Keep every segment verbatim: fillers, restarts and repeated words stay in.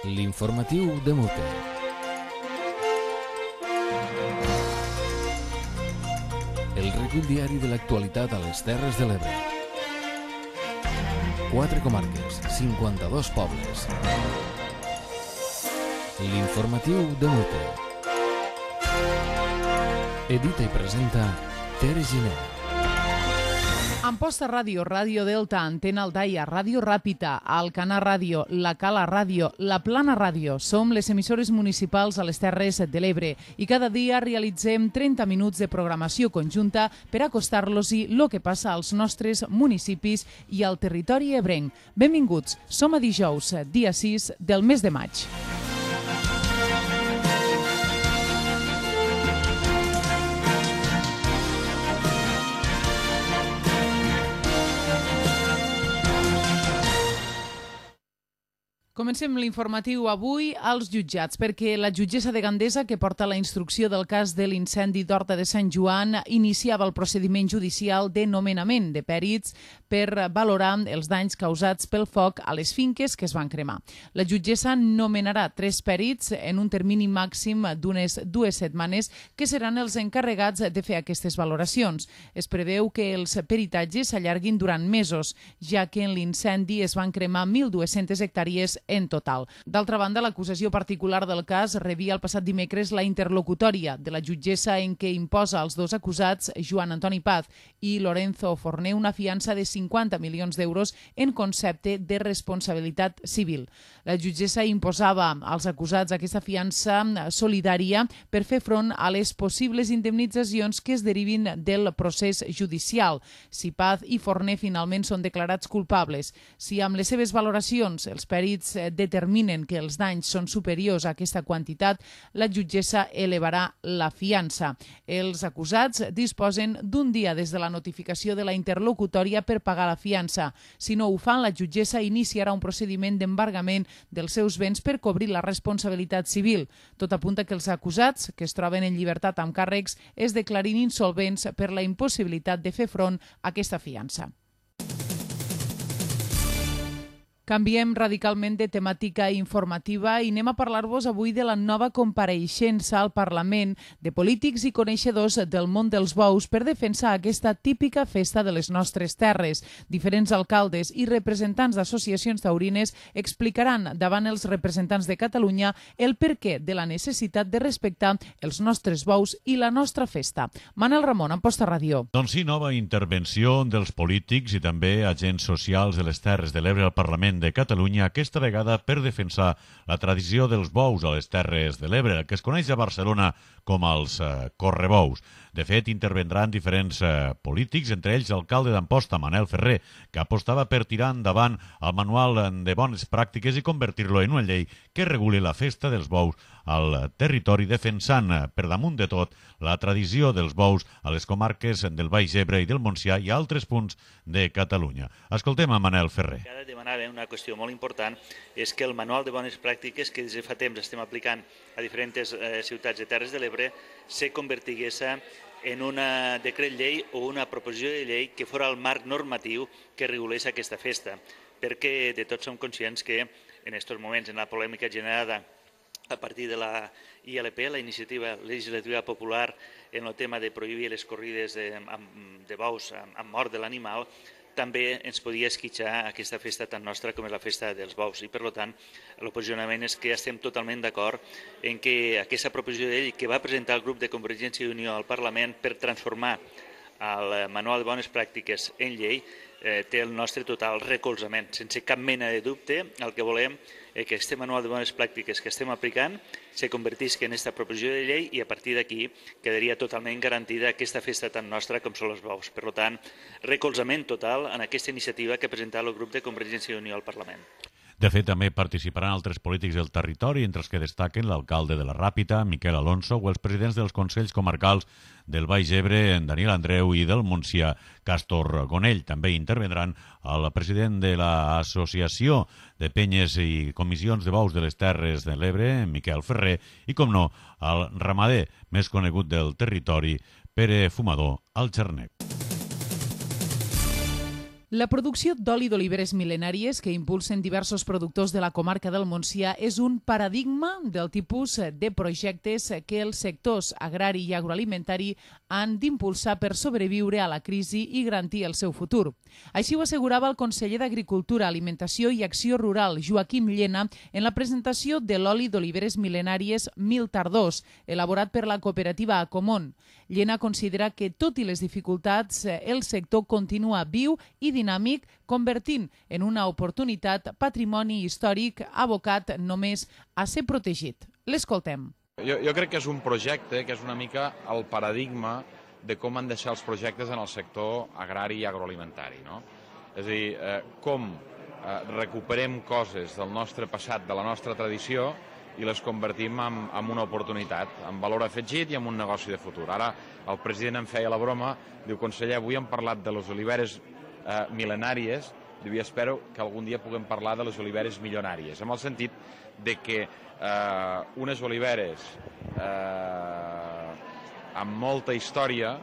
L'informatiu de Mute. El recull diari de l'actualitat a les Terres de l'Ebre. Quatre comarques, cinquanta-dos pobles. L'informatiu de Mute. Edita i presenta Tere Giner. Amposta Ràdio, Ràdio Delta, Antena Aldaia, Ràdio Ràpita, Alcanar Ràdio, La Cala Ràdio, La Plana Ràdio. Som les emissores municipals a les Terres de l'Ebre i cada dia realitzem trenta minuts de programació conjunta per acostar-los-hi el que passa als nostres municipis i al territori ebrenc. Benvinguts, som a dijous, dia sis del mes de maig. Comencem l'informatiu avui als jutjats, perquè la jutgessa de Gandesa, que porta la instrucció del cas de l'incendi d'Horta de Sant Joan, iniciava el procediment judicial de nomenament de pèrits per valorar els danys causats pel foc a les finques que es van cremar. La jutgessa nomenarà tres pèrits en un termini màxim d'unes dues setmanes que seran els encarregats de fer aquestes valoracions. Es preveu que els peritatges s'allarguin durant mesos, ja que en l'incendi es van cremar mil dues-centes hectàrees en total. D'altra banda, l'acusació particular del cas rebia el passat dimecres la interlocutòria de la jutgessa en què imposa als dos acusats, Joan Antoni Paz i Lorenzo Forné, una fiança de cinquanta milions d'euros en concepte de responsabilitat civil. La jutgessa imposava als acusats aquesta fiança solidària per fer front a les possibles indemnitzacions que es derivin del procés judicial, si Paz i Forné finalment són declarats culpables. Si amb les seves valoracions els pèrits determinen que els danys són superiors a aquesta quantitat, la jutgessa elevarà la fiança. Els acusats disposen d'un dia des de la notificació de la interlocutòria per pagar la fiança. Si no ho fan, la jutgessa iniciarà un procediment d'embargament dels seus béns per cobrir la responsabilitat civil. Tot apunta que els acusats, que es troben en llibertat amb càrrecs, es declarin insolvents per la impossibilitat de fer front a aquesta fiança. Canviem radicalment de temàtica informativa i anem a parlar-vos avui de la nova compareixença al Parlament de polítics i coneixedors del món dels bous per defensar aquesta típica festa de les nostres terres. Diferents alcaldes i representants d'associacions taurines explicaran davant els representants de Catalunya el perquè de la necessitat de respectar els nostres bous i la nostra festa. Manel Ramon, Amposta Ràdio. Doncs sí, nova intervenció dels polítics i també agents socials de les Terres de l'Ebre al Parlament de Catalunya, aquesta vegada per defensar la tradició dels bous a les Terres de l'Ebre, que es coneix a Barcelona com els eh, correbous. De fet, intervendran diferents eh, polítics, entre ells l'alcalde d'Amposta, Manel Ferrer, que apostava per tirar endavant el manual de bones pràctiques i convertir-lo en una llei que reguli la festa dels bous al territori, defensant eh, per damunt de tot la tradició dels bous a les comarques del Baix Ebre i del Montsià i a altres punts de Catalunya. Escoltem a Manel Ferrer. Ara demanava una qüestió molt important, és que el manual de bones pràctiques que des de fa temps estem aplicant a diferents eh, ciutats de Terres de l'Ebre se convertigués en un decret llei o una proposició de llei que fora el marc normatiu que regulés aquesta festa, perquè de tots som conscients que en aquests moments, en la polèmica generada a partir de la I L P, la Iniciativa Legislativa Popular, en el tema de prohibir les corrides de, de bous amb mort de l'animal, també ens podia esquitxar aquesta festa tan nostra com és la festa dels bous. I, per tant, el posicionament és que estem totalment d'acord en que aquesta proposició de llei que va presentar el grup de Convergència i Unió al Parlament per transformar el manual de bones pràctiques en llei eh, té el nostre total recolzament. Sense cap mena de dubte, el que volem és que aquest manual de bones pràctiques que estem aplicant se convertisca en aquesta proposició de llei i a partir d'aquí quedaria totalment garantida aquesta festa tan nostra com són els bous. Per tant, recolzament total en aquesta iniciativa que ha presentat el grup de Convergència i Unió al Parlament. De fet, també participaran altres polítics del territori, entre els que destaquen l'alcalde de la Ràpita, Miquel Alonso, o els presidents dels Consells Comarcals del Baix Ebre, Daniel Andreu, i del Montsià, Càstor Gonell. També intervendran el president de l'Associació de Penyes i Comissions de Bous de les Terres de l'Ebre, Miquel Ferrer, i, com no, el ramader més conegut del territori, Pere Fumador Alxernec. La producció d'oli d'oliveres mil·lenàries que impulsen diversos productors de la comarca del Montsià és un paradigma del tipus de projectes que els sectors agrari i agroalimentari han d'impulsar per sobreviure a la crisi i garantir el seu futur. Així ho assegurava el conseller d'Agricultura, Alimentació i Acció Rural, Joaquim Llena, en la presentació de l'oli d'oliveres mil·lenàries Mil Tardors, elaborat per la cooperativa Acomon. Llena considera que, tot i les dificultats, el sector continua viu i dinàmic, convertint en una oportunitat patrimoni històric abocat només a ser protegit. L'escoltem. Jo, jo crec que és un projecte que és una mica el paradigma de com han de ser els projectes en el sector agrari i agroalimentari, no? És a dir, eh, com eh, recuperem coses del nostre passat, de la nostra tradició, i les convertim en, en una oportunitat, en valor afegit i en un negoci de futur. Ara el president em feia la broma, diu, conseller, avui hem parlat de les oliveres eh, mil·lenàries, diu, i espero que algun dia puguem parlar de les oliveres milionàries, en el sentit de que eh, unes oliveres eh, amb molta història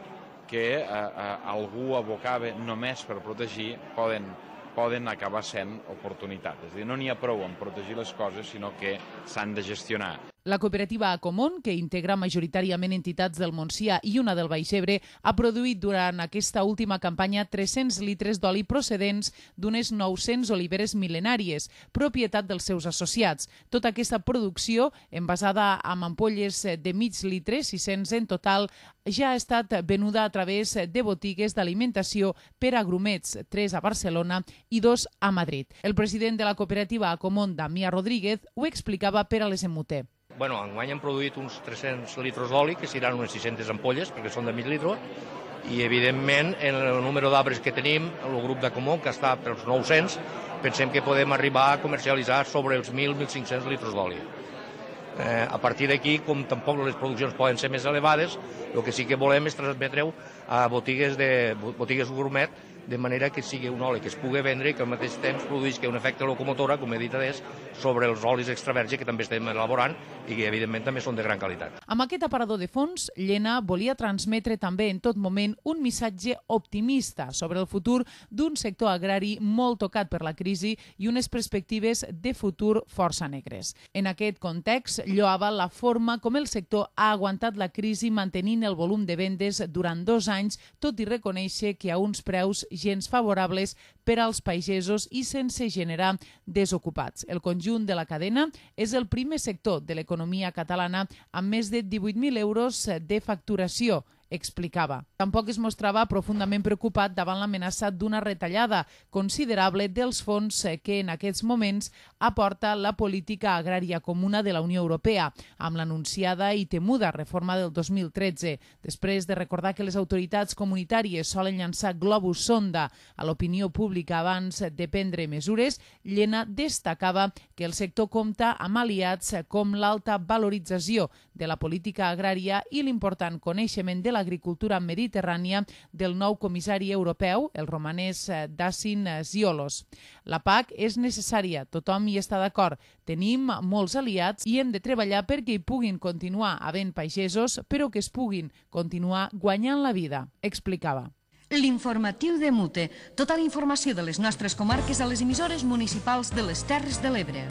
que eh, eh, algú abocava només per protegir poden poden acabar sent oportunitats. És a dir, no n'hi ha prou en protegir les coses, sinó que s'han de gestionar. La cooperativa Acomon, que integra majoritàriament entitats del Montsià i una del Baix Ebre, ha produït durant aquesta última campanya tres-cents litres d'oli procedents d'unes nou-cents oliveres mil·lenàries, propietat dels seus associats. Tota aquesta producció, envasada amb ampolles de mig litre, sis-cents en total, ja ha estat venuda a través de botigues d'alimentació per a grumets, tres a Barcelona i dos a Madrid. El president de la cooperativa Acomon, Damià Rodríguez, ho explicava per a les Emuter. Bueno, enguany hem produït uns tres-cents litres d'oli, que seran unes sis-centes ampolles, perquè són de mig litre, i evidentment en el número d'arbres que tenim, el grup d'Acomon, que està pels nou-cents, pensem que podem arribar a comercialitzar sobre els mil a mil cinc-cents litres d'oli. Eh, a partir d'aquí, com tampoc les produccions poden ser més elevades, el que sí que volem és transmetre-ho a botigues, de, botigues gourmet, de manera que sigui un oli que es pugui vendre i que al mateix temps produïsca un efecte locomotora, com he dit adés, sobre els olis extra verge que també estem elaborant i que evidentment també són de gran qualitat. Amb aquest aparador de fons, Llena volia transmetre també en tot moment un missatge optimista sobre el futur d'un sector agrari molt tocat per la crisi i unes perspectives de futur força negres. En aquest context, lloava la forma com el sector ha aguantat la crisi mantenint el volum de vendes durant dos anys, tot i reconèixer que a uns preus gens favorables per als pagesos i sense generar desocupats. El conjunt de la cadena és el primer sector de l'economia catalana amb més de divuit mil euros de facturació, explicava. Tampoc es mostrava profundament preocupat davant l'amenaça d'una retallada considerable dels fons que en aquests moments aporta la política agrària comuna de la Unió Europea, amb l'anunciada i temuda reforma del dos mil tretze. Després de recordar que les autoritats comunitàries solen llançar globus sonda a l'opinió pública abans de prendre mesures, Llena destacava que el sector compta amb aliats com l'alta valorització de la política agrària i l'important coneixement de l'agricultura mediterrània del nou comissari europeu, el romanès Dacian Ziolos. La P A C és necessària, tothom hi està d'acord. Tenim molts aliats i hem de treballar perquè hi puguin continuar havent pagesos, però que es puguin continuar guanyant la vida, explicava. L'informatiu de Mute. Tota la informació de les nostres comarques a les emissores municipals de les Terres de l'Ebre.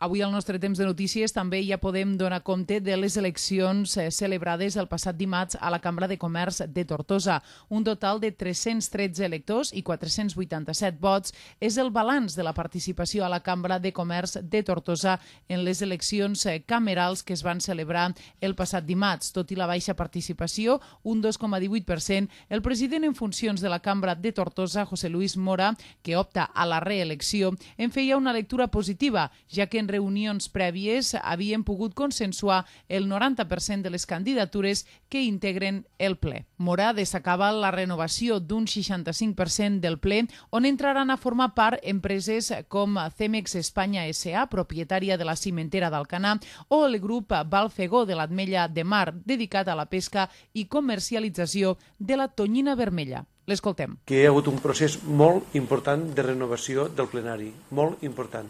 Avui al nostre temps de notícies també ja podem donar compte de les eleccions celebrades el passat dimarts a la Cambra de Comerç de Tortosa. Un total de tres-cents tretze electors i quatre-cents vuitanta-set vots és el balanç de la participació a la Cambra de Comerç de Tortosa en les eleccions camerals que es van celebrar el passat dimarts. Tot i la baixa participació, un dos coma divuit per cent, el president en funcions de la Cambra de Tortosa, José Luis Mora, que opta a la reelecció, en feia una lectura positiva, ja que en reunions prèvies havien pogut consensuar el noranta per cent de les candidatures que integren el ple. Mora destacava la renovació d'un seixanta-cinc per cent del ple, on entraran a formar part empreses com Cemex Espanya S A, propietària de la cimentera d'Alcanar, o el grup Valfegó de l'Ametlla de Mar, dedicat a la pesca i comercialització de la tonyina vermella. L'escoltem. Que hi ha hagut un procés molt important de renovació del plenari, molt important.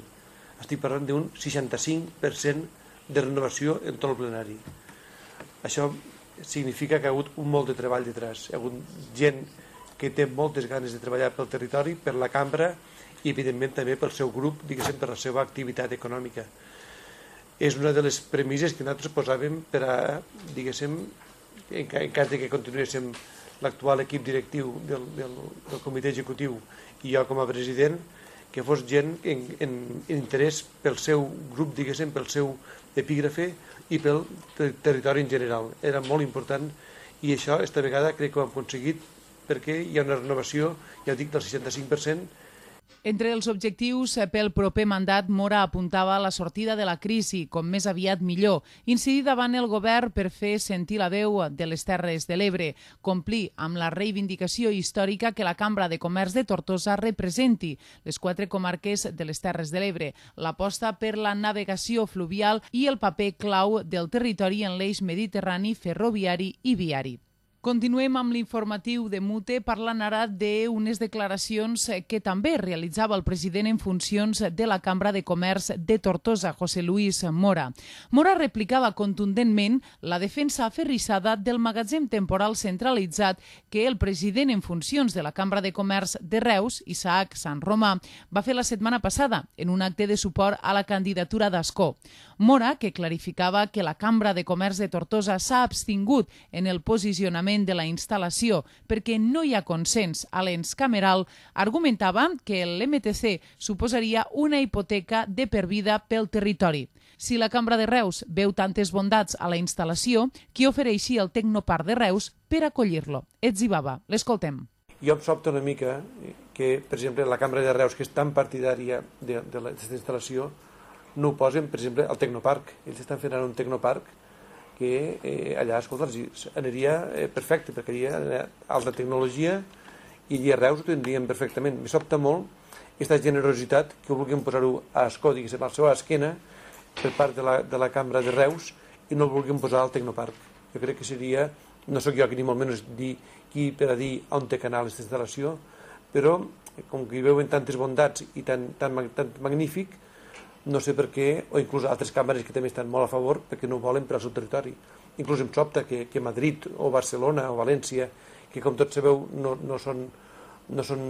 Estic parlant d'un seixanta-cinc per cent de renovació en tot el plenari. Això significa que hi ha hagut un molt de treball detrás. Hi ha hagut gent que té moltes ganes de treballar pel territori, per la cambra i evidentment també pel seu grup, diguéssim, per la seva activitat econòmica. És una de les premisses que nosaltres posàvem per a, diguéssim, en cas que continuéssim l'actual equip directiu del, del, del comitè executiu i jo com a president, que fos gent en, en, en interès pel seu grup, diguéssim, pel seu epígrafe i pel ter territori en general. Era molt important i això, esta vegada, crec que ho hem aconseguit perquè hi ha una renovació, ja ho dic, del seixanta-cinc per cent. Entre els objectius pel proper mandat, Mora apuntava la sortida de la crisi, com més aviat millor, incidir davant el govern per fer sentir la veu de les Terres de l'Ebre, complir amb la reivindicació històrica que la Cambra de Comerç de Tortosa representi les quatre comarques de les Terres de l'Ebre, l'aposta per la navegació fluvial i el paper clau del territori en l'eix mediterrani, ferroviari i viari. Continuem amb l'informatiu de Mute, parlant ara d'unes declaracions que també realitzava el president en funcions de la Cambra de Comerç de Tortosa, José Luis Mora. Mora replicava contundentment la defensa aferrissada del magatzem temporal centralitzat que el president en funcions de la Cambra de Comerç de Reus, Isaac Sant Romà, va fer la setmana passada en un acte de suport a la candidatura d'Ascó. Mora, que clarificava que la Cambra de Comerç de Tortosa s'ha abstingut en el posicionament de la instal·lació perquè no hi ha consens a l'ens cameral, argumentava que l'M T C suposaria una hipoteca de per vida pel territori. Si la Cambra de Reus veu tantes bondats a la instal·lació, qui ofereixi el Tecnoparc de Reus per acollir-lo? Etzibaba, l'escoltem. Jo em sobta una mica que, per exemple, la Cambra de Reus, que és tan partidària d'aquesta instal·lació, no ho posen, per exemple, al Tecnoparc. Ells estan fent ara un Tecnoparc que eh, allà, escolta, aniria eh, perfecte, perquè hi ha alta tecnologia i allà a Reus ho tindríem perfectament. Me sobta molt aquesta generositat que vulguin posar-ho a Ascó, diguéssim, al seu esquena per part de la, de la Cambra de Reus i no el vulguin posar al Tecnoparc. Jo crec que seria, no sóc jo que ni molt menys dir qui per a dir on té canal aquesta instal·lació, però com que hi veuen tantes bondats i tan, tan, tan magnífic, no sé per què, o inclús altres càmeres que també estan molt a favor perquè no ho volen per al seu territori. Inclús em sobta que, que Madrid o Barcelona o València, que com tots sabeu no, no, són, no són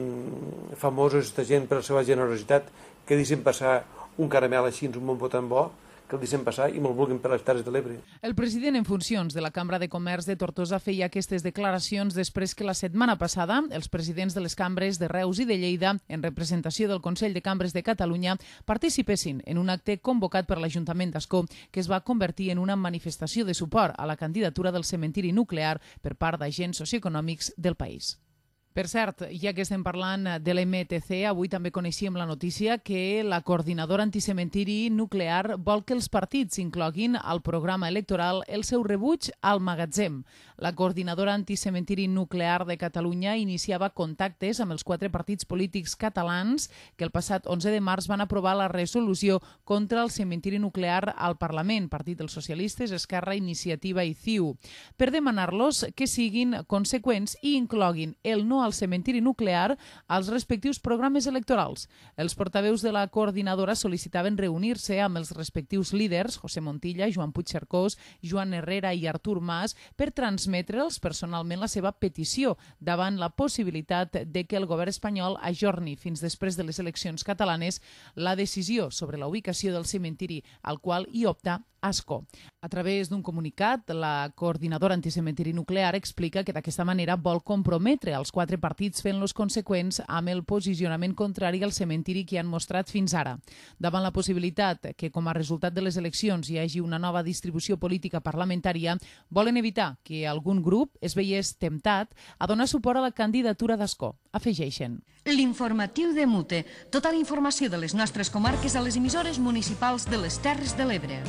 famosos aquesta gent per la seva generositat, que deixen passar un caramel així, un bon tan bo, que el deixen passar i me'l vulguin per les Terres de l'Ebre. El president en funcions de la Cambra de Comerç de Tortosa feia aquestes declaracions després que la setmana passada els presidents de les cambres de Reus i de Lleida, en representació del Consell de Cambres de Catalunya, participessin en un acte convocat per l'Ajuntament d'Ascó que es va convertir en una manifestació de suport a la candidatura del cementiri nuclear per part d'agents socioeconòmics del país. Per cert, ja que estem parlant de l'M T C, avui també coneixíem la notícia que la coordinadora anticementiri nuclear vol que els partits incloguin al programa electoral el seu rebuig al magatzem. La coordinadora anticementiri nuclear de Catalunya iniciava contactes amb els quatre partits polítics catalans que el passat onze de març van aprovar la resolució contra el cementiri nuclear al Parlament, Partit dels Socialistes, Esquerra, Iniciativa i C I U, per demanar-los que siguin conseqüents i incloguin el no al cementiri nuclear als respectius programes electorals. Els portaveus de la coordinadora sol·licitaven reunir-se amb els respectius líders, José Montilla, Joan Puigcercós, Joan Herrera i Artur Mas, per transmetre'ls personalment la seva petició davant la possibilitat de que el govern espanyol ajorni fins després de les eleccions catalanes la decisió sobre la ubicació del cementiri al qual hi opta Ascó. A través d'un comunicat, la coordinadora anticementiri nuclear explica que d'aquesta manera vol comprometre els quatre partits fent-los conseqüents amb el posicionament contrari al cementiri que han mostrat fins ara. Davant la possibilitat que, com a resultat de les eleccions, hi hagi una nova distribució política parlamentària, volen evitar que algun grup es veiés temptat a donar suport a la candidatura d'Ascó. Afegeixen. L'informatiu de Mute. Tota la informació de les nostres comarques a les emissores municipals de les Terres de l'Ebre.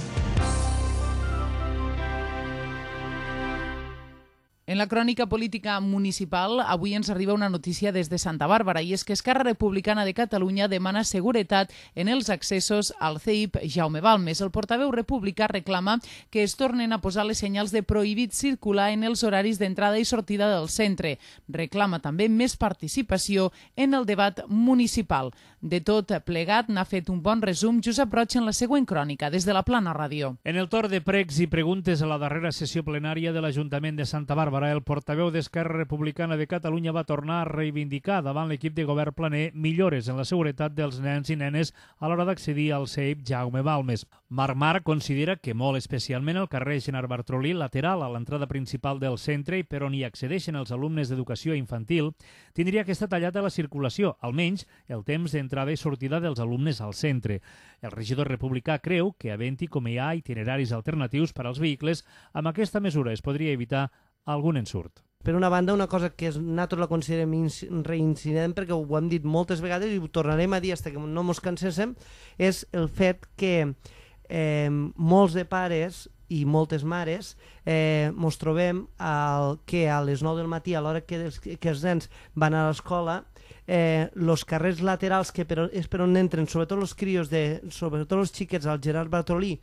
En la crònica política municipal, avui ens arriba una notícia des de Santa Bàrbara, i és que Esquerra Republicana de Catalunya demana seguretat en els accessos al C I P Jaume Balmes. El portaveu republicà reclama que es tornen a posar les senyals de prohibit circular en els horaris d'entrada i sortida del centre. Reclama també més participació en el debat municipal. De tot plegat n'ha fet un bon resum Josep Roig en la següent crònica, des de la Plana Ràdio. En el torn de pregs i preguntes a la darrera sessió plenària de l'Ajuntament de Santa Bàrbara, el portaveu d'Esquerra Republicana de Catalunya va tornar a reivindicar davant l'equip de govern planer millores en la seguretat dels nens i nenes a l'hora d'accedir al C I P Jaume Balmes. Marc Marc considera que molt especialment el carrer Gerard Bartrolí, lateral a l'entrada principal del centre i per on hi accedeixen els alumnes d'educació infantil, tindria que estar tallat a la circulació, almenys el temps d'entrada i sortida dels alumnes al centre. El regidor republicà creu que, havent-hi com hi ha itineraris alternatius per als vehicles, amb aquesta mesura es podria evitar algun ensurt. Per una banda, una cosa que nosaltres la considerem reincident, perquè ho hem dit moltes vegades i ho tornarem a dir fins que no ens canséssim, és el fet que eh, molts de pares i moltes mares eh, ens trobem al, que a les nou del matí, a l'hora que, que els nens van a l'escola, eh, els carrers laterals, que per, és per on entren sobretot els crios, de, sobretot els xiquets al Gerard Bartrolí,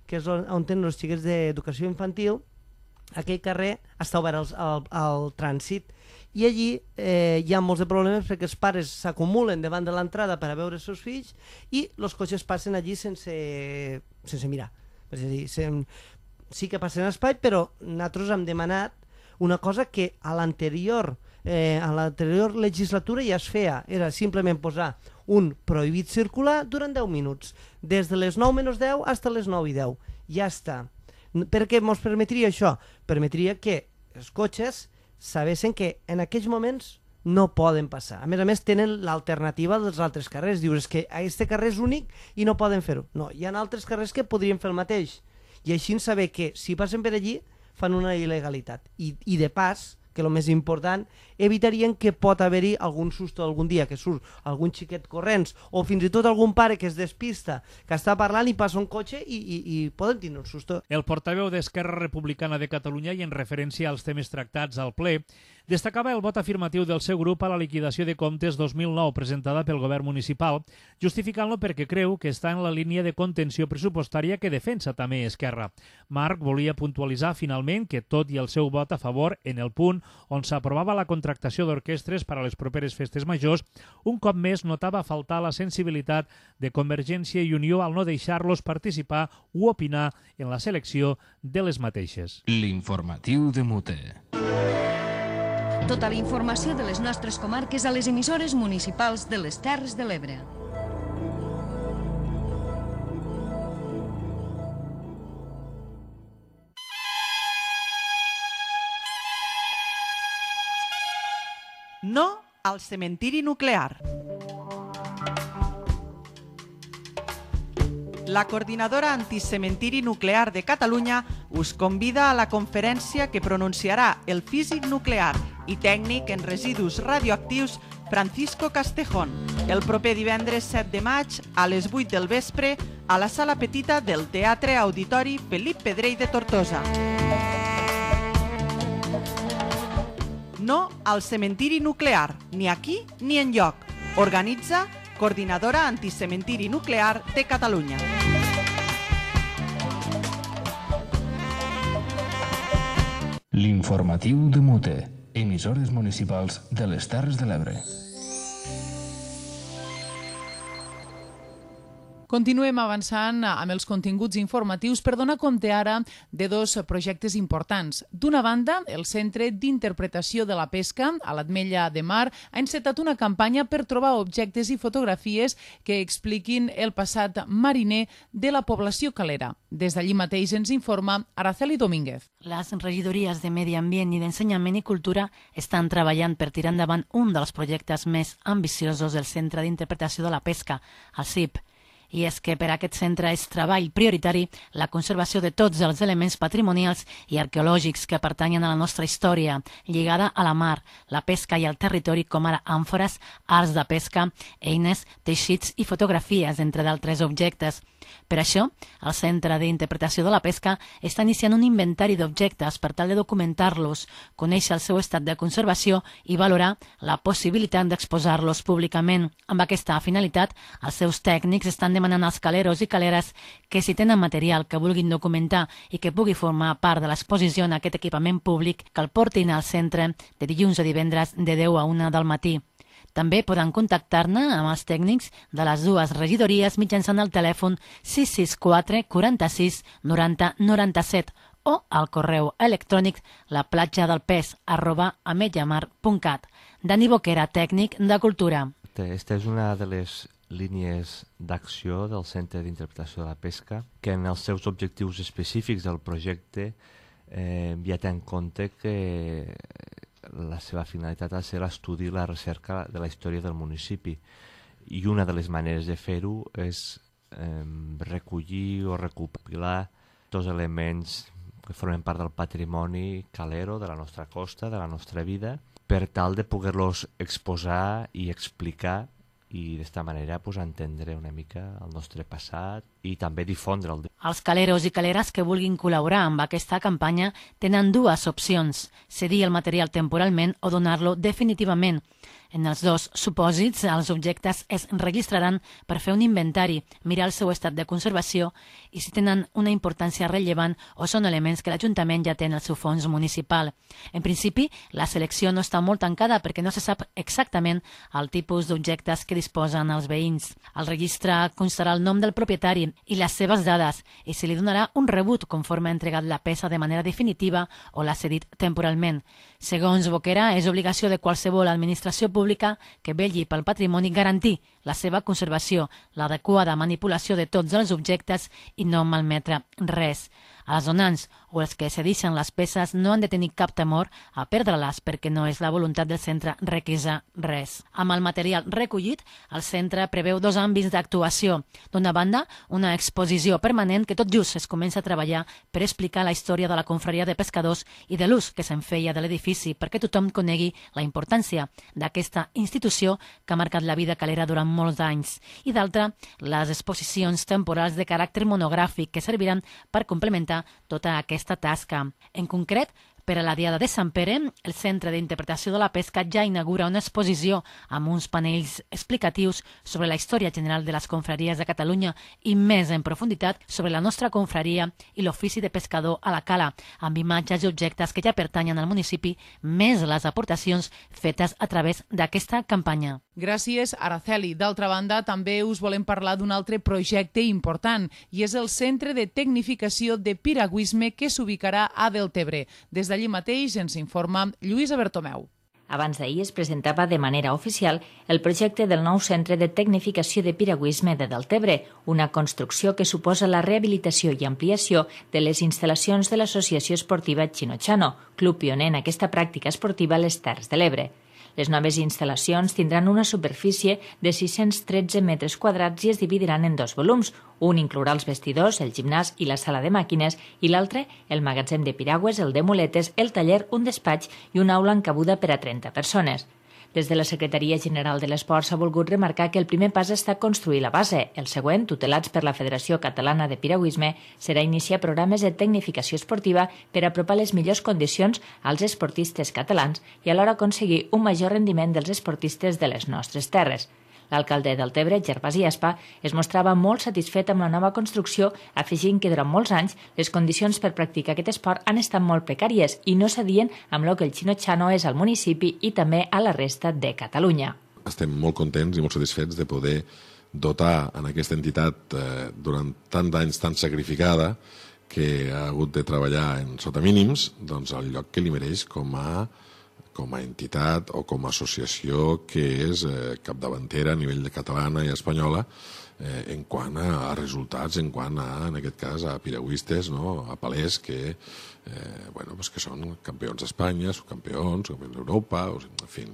que és on, on tenen els xiquets d'educació infantil, aquell carrer està obert al, al, al trànsit, i allí eh, hi ha molts de problemes perquè els pares s'acumulen davant de l'entrada per a veure els seus fills i els cotxes passen allí sense, sense mirar. És a dir, sem, sí que passen espai, però nosaltres hem demanat una cosa que a l'anterior eh, a l'anterior legislatura ja es feia, era simplement posar un prohibit circular durant deu minuts, des de les nou menys deu fins a les nou i deu. Ja està. Per què ens permetria això? Permetria que els cotxes sabessin que en aquells moments no poden passar. A més a més, tenen l'alternativa dels altres carrers. Dius que aquest carrer és únic i no poden fer-ho. No, hi ha altres carrers que podrien fer el mateix. I així saber que si passen per allí fan una il·legalitat. I, i de pas, que el més important, evitarien que pot haver-hi algun susto algun dia, que surt algun xiquet corrents, o fins i tot algun pare que es despista, que està parlant i passa un cotxe i, i, i poden tenir un susto. El portaveu d'Esquerra Republicana de Catalunya, i en referència als temes tractats al ple, destacava el vot afirmatiu del seu grup a la liquidació de comptes dos mil nou presentada pel govern municipal, justificant-lo perquè creu que està en la línia de contenció pressupostària que defensa també Esquerra. Marc volia puntualitzar finalment que, tot i el seu vot a favor en el punt on s'aprovava la contractació d'orquestres per a les properes festes majors, un cop més notava faltar la sensibilitat de Convergència i Unió al no deixar-los participar o opinar en la selecció de les mateixes. L'informatiu de Mute. Tota la informació de les nostres comarques a les emissores municipals de les Terres de l'Ebre. No al cementiri nuclear. La Coordinadora Anticementiri Nuclear de Catalunya us convida a la conferència que pronunciarà el físic nuclear i tècnic en residus radioactius Francisco Castejón el proper divendres set de maig a les vuit del vespre a la sala petita del Teatre Auditori Felip Pedrell de Tortosa. No al cementiri nuclear, ni aquí ni enlloc. Organitza Coordinadora Anticementiri Nuclear de Catalunya. L'informatiu de Mute. Emissores municipals de les Terres de l'Ebre. Continuem avançant amb els continguts informatius per donar compte ara de dos projectes importants. D'una banda, el Centre d'Interpretació de la Pesca a l'Ametlla de Mar ha encetat una campanya per trobar objectes i fotografies que expliquin el passat mariner de la població calera. Des d'allí mateix ens informa Araceli Domínguez. Les regidories de Medi Ambient i d'Ensenyament i Cultura estan treballant per tirar endavant un dels projectes més ambiciosos del Centre d'Interpretació de la Pesca, el C I P. I és que per a aquest centre és treball prioritari la conservació de tots els elements patrimonials i arqueològics que pertanyen a la nostra història, lligada a la mar, la pesca i el territori, com ara àmfores, arts de pesca, eines, teixits i fotografies, entre d'altres objectes. Per això, el Centre d'Interpretació de la Pesca està iniciant un inventari d'objectes per tal de documentar-los, conèixer el seu estat de conservació i valorar la possibilitat d'exposar-los públicament. Amb aquesta finalitat, els seus tècnics estan demanant als caleros i caleres que si tenen material que vulguin documentar i que pugui formar part de l'exposició en aquest equipament públic, que el portin al centre de dilluns a divendres de deu a una del matí. També poden contactar-ne amb els tècnics de les dues regidories mitjançant el telèfon sis sis quatre quaranta-sis noranta noranta-set o al correu electrònic laplatjadelpes arroba ametlllamar punt cat. Dani Boquera, tècnic de Cultura. Aquesta és una de les línies d'acció del Centre d'Interpretació de la Pesca, que en els seus objectius específics del projecte eh, ja té en compte que la seva finalitat ha de ser l'estudi i la recerca de la història del municipi. I una de les maneres de fer-ho és eh, recollir o recopilar tots elements que formen part del patrimoni calero de la nostra costa, de la nostra vida, per tal de poder-los exposar i explicar i d'esta manera pues, entendre una mica el nostre passat i també difondre'l. Els caleros i caleres que vulguin col·laborar amb aquesta campanya tenen dues opcions: cedir el material temporalment o donar-lo definitivament. En els dos supòsits, els objectes es registraran per fer un inventari, mirar el seu estat de conservació i si tenen una importància rellevant o són elements que l'Ajuntament ja té en el seu fons municipal. En principi, la selecció no està molt tancada perquè no se sap exactament el tipus d'objectes que disposen els veïns. El registre constarà el nom del propietari i les seves dades i se li donarà un rebut conforme ha entregat la peça de manera definitiva o l'ha cedit temporalment. Segons Boquera, és obligació de qualsevol administració pública que vetlli pel patrimoni garantir la seva conservació, l'adequada manipulació de tots els objectes i no malmetre res. Els donants o els que cedixen les peces no han de tenir cap temor a perdre-les perquè no és la voluntat del centre requisar res. Amb el material recollit, el centre preveu dos àmbits d'actuació. D'una banda, una exposició permanent que tot just es comença a treballar per explicar la història de la confraria de pescadors i de l'ús que se'n feia de l'edifici perquè tothom conegui la importància d'aquesta institució que ha marcat la vida calera durant molts anys. I d'altra, les exposicions temporals de caràcter monogràfic que serviran per complementar tota aquesta tasca. En concret, per a la Diada de Sant Pere, el Centre d'Interpretació de la Pesca ja inaugura una exposició amb uns panells explicatius sobre la història general de les confraries de Catalunya i més en profunditat sobre la nostra confraria i l'ofici de pescador a la cala, amb imatges i objectes que ja pertanyen al municipi, més les aportacions fetes a través d'aquesta campanya. Gràcies, Araceli. D'altra banda, també us volem parlar d'un altre projecte important i és el Centre de Tecnificació de Piragüisme que s'ubicarà a Deltebre. Des d'allí mateix ens informa Lluïsa Bertomeu. Abans d'ahir es presentava de manera oficial el projecte del nou Centre de Tecnificació de Piragüisme de Deltebre, una construcció que suposa la rehabilitació i ampliació de les instal·lacions de l'Associació Esportiva Chino-Chano, club pioner en aquesta pràctica esportiva a les Terres de l'Ebre. Les noves instal·lacions tindran una superfície de sis-cents tretze metres quadrats i es dividiran en dos volums. Un inclourà els vestidors, el gimnàs i la sala de màquines i l'altre el magatzem de piragües, el de muletes, el taller, un despatx i una aula encabuda per a trenta persones. Des de la Secretaria General de l'Esport s'ha volgut remarcar que el primer pas està construir la base. El següent, tutelats per la Federació Catalana de Piragüisme, serà iniciar programes de tecnificació esportiva per apropar les millors condicions als esportistes catalans i alhora aconseguir un major rendiment dels esportistes de les nostres terres. L'alcalde de Deltebre, Gervasi Espa, es mostrava molt satisfet amb la nova construcció, afegint que durant molts anys les condicions per practicar aquest esport han estat molt precàries i no s'adien amb el que el Chino-Chano és al municipi i també a la resta de Catalunya. Estem molt contents i molt satisfets de poder dotar en aquesta entitat eh, durant tant d'anys tan sacrificada que ha hagut de treballar en sota mínims, doncs el lloc que li mereix com a com a entitat o com a associació que és eh, capdavantera a nivell de catalana i espanyola eh, en quant a, a resultats, en quant a, en aquest cas, a piragüistes, no? A palers que, eh, bueno, pues que són campions d'Espanya, subcampions, campions d'Europa, o sigui, en fi,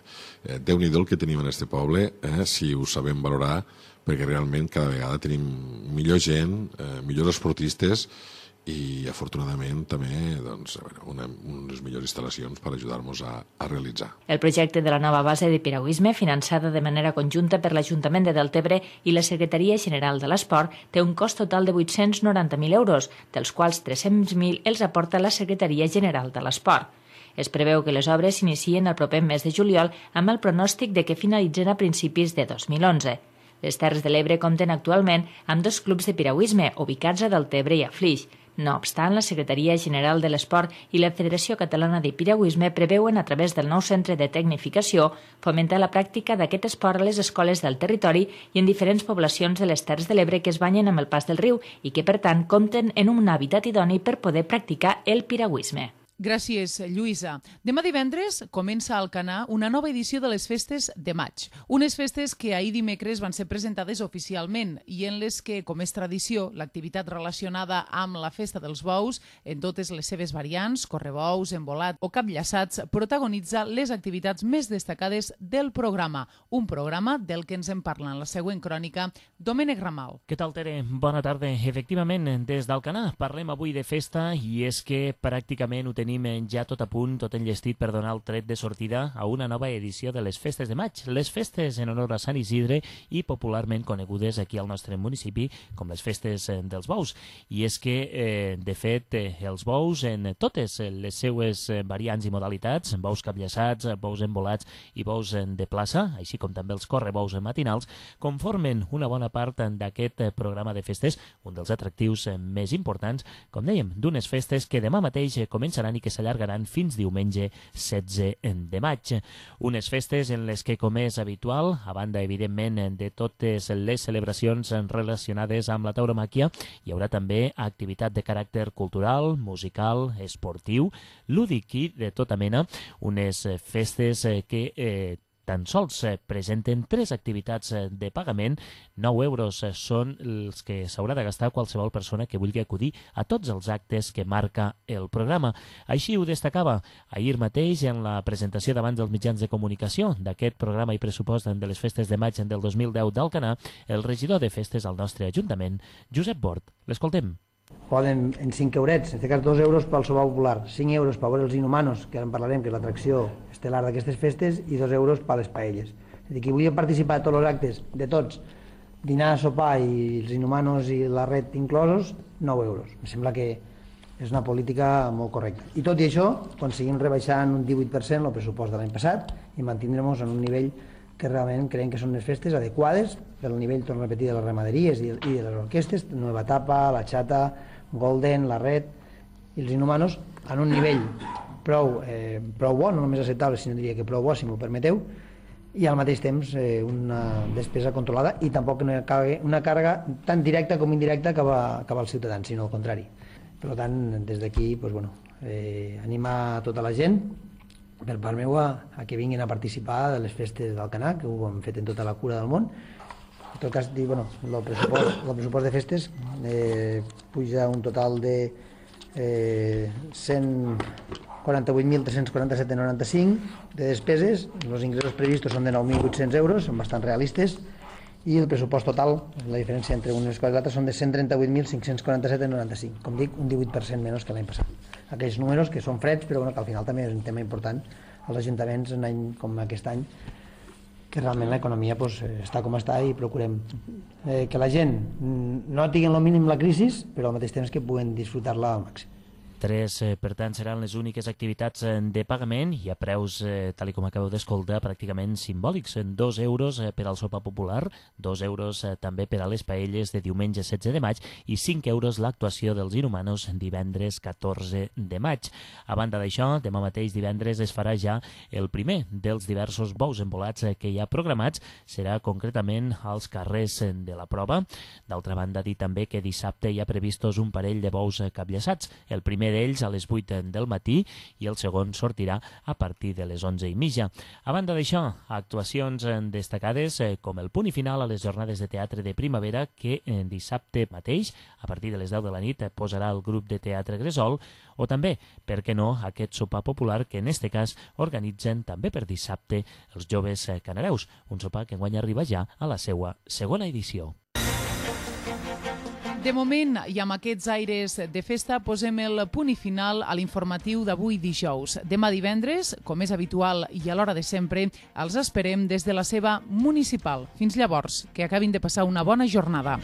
eh, Déu-n'hi-do el que tenim en este poble, eh, si ho sabem valorar, perquè realment cada vegada tenim millor gent, eh, millors esportistes i afortunadament també doncs, una, unes millors instal·lacions per ajudar-nos a, a realitzar. El projecte de la nova base de piragüisme, finançada de manera conjunta per l'Ajuntament de Deltebre i la Secretaria General de l'Esport, té un cost total de vuit-cents noranta mil euros, dels quals tres-cents mil els aporta la Secretaria General de l'Esport. Es preveu que les obres s'inicien el proper mes de juliol amb el pronòstic de que finalitzen a principis de dos mil onze. Les Terres de l'Ebre compten actualment amb dos clubs de piragüisme ubicats a Deltebre i a Flix. No obstant, la Secretaria General de l'Esport i la Federació Catalana de Piragüisme preveuen, a través del nou centre de tecnificació, fomentar la pràctica d'aquest esport a les escoles del territori i en diferents poblacions de les Terres de l'Ebre que es banyen amb el pas del riu i que, per tant, compten en un hàbitat idoni per poder practicar el piragüisme. Gràcies, Lluïsa. Demà divendres comença a Alcanar una nova edició de les Festes de Maig. Unes festes que ahir dimecres van ser presentades oficialment i en les que, com és tradició, l'activitat relacionada amb la Festa dels Bous, en totes les seves variants, correbous, embolat o capllaçats, protagonitza les activitats més destacades del programa. Un programa del que ens en parla en la següent crònica Domènec Ramal. Què tal, Tere? Bona tarda. Efectivament, des d'Alcanar parlem avui de festa i és que pràcticament ho tenim Tenim ja tot a punt, tot enllestit per donar el tret de sortida a una nova edició de les Festes de Maig. Les festes en honor a Sant Isidre i popularment conegudes aquí al nostre municipi com les Festes dels Bous. I és que, eh, de fet, eh, els bous en totes les seues variants i modalitats, bous capllaçats, bous embolats i bous de plaça, així com també els correbous matinals, conformen una bona part d'aquest programa de festes, un dels atractius més importants, com dèiem, d'unes festes que demà mateix començaran i que s'allargaran fins diumenge setze de maig. Unes festes en les que, com és habitual, a banda, evidentment, de totes les celebracions relacionades amb la tauromàquia, hi haurà també activitat de caràcter cultural, musical, esportiu, lúdic i de tota mena, unes festes que eh, tan sols presenten tres activitats de pagament. nou euros són els que s'haurà de gastar qualsevol persona que vulgui acudir a tots els actes que marca el programa. Així ho destacava ahir mateix en la presentació davant dels mitjans de comunicació d'aquest programa i pressupost de les Festes de Maig del dos mil deu d'Alcanar, el regidor de festes al nostre Ajuntament, Josep Bort. L'escoltem. Poden, en cinc eurets, en aquest cas dos euros pel sopar popular, cinc euros per veure els Inhumanos, que ara en parlarem, que és l'atracció estel·lar d'aquestes festes, i dos euros per les paelles. És a dir, qui vulgui participar de tots els actes, de tots, dinar, sopar i els Inhumanos i la red inclosos, nou euros. Em sembla que és una política molt correcta. I tot i això, aconseguim rebaixar en un divuit per cent el pressupost de l'any passat i mantindrem-nos en un nivell que realment creiem que són unes festes adequades pel nivell, torno a repetir, de les ramaderies i de les orquestes, Nueva Etapa, La Chata, Golden, La Red i els Inhumanos, en un nivell prou, eh, prou bo, no només acceptable, sinó diria que prou bo, si m'ho permeteu, i al mateix temps eh, una despesa controlada i tampoc no hi ha una càrrega tan directa com indirecta cap, a, cap als ciutadans, sinó al contrari. Per tant, des d'aquí, pues, bueno, eh, animar tota la gent, per part meva, a que vinguin a participar de les festes d'Alcanar, que ho hem fet en tota la cura del món. En tot cas, dir, bueno, el pressupost, el pressupost de festes eh, puja un total de eh, cent quaranta-vuit mil tres-cents quaranta-set coma noranta-cinc de despeses. Els ingressos previstos són de nou mil vuit-cents euros, són bastant realistes, i el pressupost total, la diferència entre unes coses i l'altres, són de cent trenta-vuit mil cinc-cents quaranta-set coma noranta-cinc. Com dic, un divuit per cent menys que l'any passat. Aquells números que són freds, però bueno, que al final també és un tema important als ajuntaments en any com aquest any, que realment l'economia pues, està com està i procurem eh, que la gent no tingui el mínim la crisi, però al mateix temps que puguen disfrutar-la al màxim. Tres, eh, per tant, seran les úniques activitats de pagament i a preus, eh, tal com acabeu d'escoltar, pràcticament simbòlics. Dos euros eh, per al sopar popular, dos euros eh, també per a les paelles de diumenge setze de maig i cinc euros l'actuació dels Inhumanos divendres catorze de maig. A banda d'això, demà mateix divendres es farà ja el primer dels diversos bous embolats eh, que hi ha programats. Serà concretament als carrers de la prova. D'altra banda, dir també que dissabte hi ha previstos un parell de bous eh, capllaçats. El primer d'ells a les vuit del matí i el segon sortirà a partir de les onze i mitja. A banda d'això, actuacions destacades eh, com el punt i final a les jornades de teatre de primavera que eh, dissabte mateix, a partir de les deu de la nit, eh, posarà el grup de teatre Gresol, o també, per què no, aquest sopar popular que en este cas organitzen també per dissabte els joves eh, canareus, un sopar que enguany arriba ja a la seua segona edició. De moment, i amb aquests aires de festa, posem el punt i final a l'informatiu d'avui dijous. Demà divendres, com és habitual i a l'hora de sempre, els esperem des de la seva municipal. Fins llavors, que acabin de passar una bona jornada.